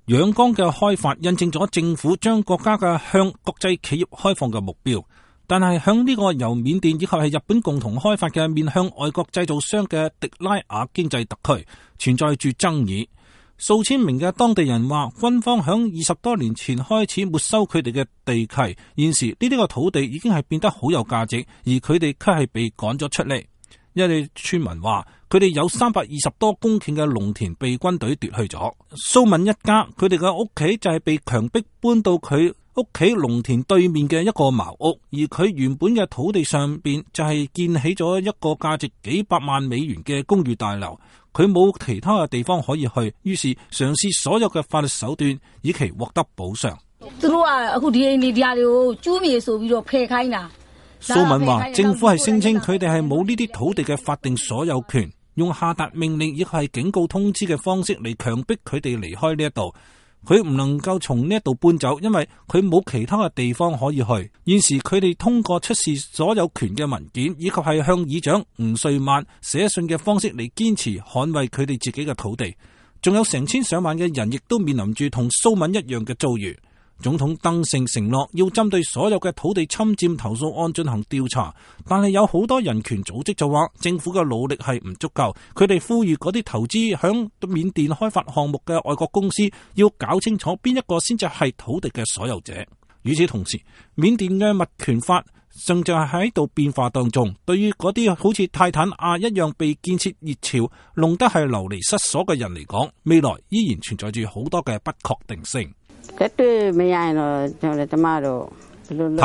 仰光嘅開發印證咗政府將國家嘅向國際企業開放嘅目標，但係響呢個由緬甸以及係日本共同開發嘅面向外國製造商嘅迪拉雅經濟特區存在住爭議。數千名嘅當地人話，軍方響20多年前開始沒收佢哋嘅地契，現時呢啲個土地已經係變得好有價值，而佢哋卻係被趕咗出嚟。一啲村民話，佢哋有320多公頃嘅農田被軍隊奪去咗。蘇敏一家佢哋嘅屋企就係被強迫搬到佢屋企農田對面嘅一個茅屋，而佢原本嘅土地上邊就係建起咗一個價值幾百萬美元嘅公寓大樓。佢冇其他嘅地方可以去，於是嘗試所有嘅法律手段，以期獲得補償。蘇敏話，政府係聲稱佢哋係冇呢啲土地嘅法定所有權，用下達命令亦係警告通知嘅方式嚟強迫佢哋離開呢一度。佢唔能夠從呢一度搬走，因為佢冇其他嘅地方可以去。現時佢哋通過出示所有權嘅文件，以及係向議長吳瑞曼寫信嘅方式嚟堅持捍衛佢哋自己嘅土地。仲有成千上萬嘅人亦都面臨住同蘇敏一樣嘅遭遇。總統登盛承諾要針對所有嘅土地侵佔投訴案進行調查，但係有好多人權組織就話政府嘅努力係唔足夠，佢哋呼籲嗰啲投資響緬甸開發項目嘅外國公司要搞清楚邊一個先至係土地嘅所有者。與此同時，緬甸嘅物權法正就係喺度變化當中，對於嗰啲好似泰坦亞一樣被建設熱潮弄得係流離失所嘅人嚟講，未來依然存在住好多嘅不確定性。泰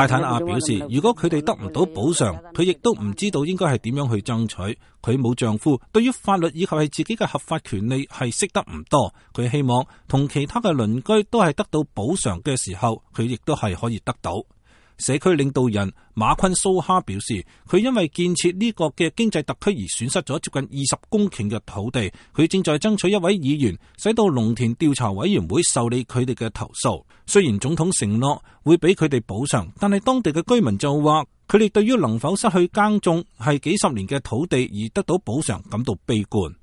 坦亞表示，如果佢哋得唔到補償，佢亦都唔知道應該係點樣去爭取。佢冇丈夫，對於法律以及係自己嘅合法權利係識得唔多。佢希望同其他嘅鄰居都係得到補償嘅時候，佢亦都係可以得到。社區領導人馬昆蘇哈表示，佢因為建設呢個嘅經濟特區而損失咗接近20公頃嘅土地。佢正在爭取一位議員，使到農田調查委員會受理佢哋嘅投訴。雖然總統承諾會俾佢哋補償，但係當地嘅居民就話，佢哋對於能否失去耕種係幾十年嘅土地而得到補償感到悲觀。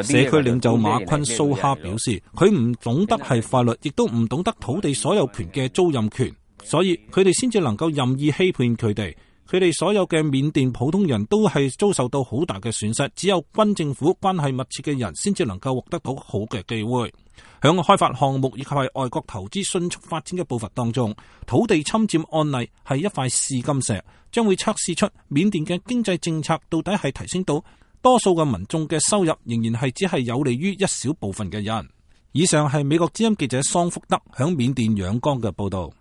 社區領袖馬昆蘇哈表示，佢唔懂得係法律，亦都唔懂得土地所有權嘅租賃權，所以佢哋先至能夠任意欺騙佢哋。佢哋所有嘅緬甸普通人都係遭受到好大嘅損失，只有軍政府關係密切嘅人先至能夠獲得到好嘅機會。響開發項目以及係外國投資迅速發展嘅步伐當中，土地侵佔案例係一塊試金石，將會測試出緬甸嘅經濟政策到底係提升到多數嘅民眾嘅收入，仍然係只係有利於一小部分嘅人。以上係美國之音記者桑福德響緬甸仰光嘅報道。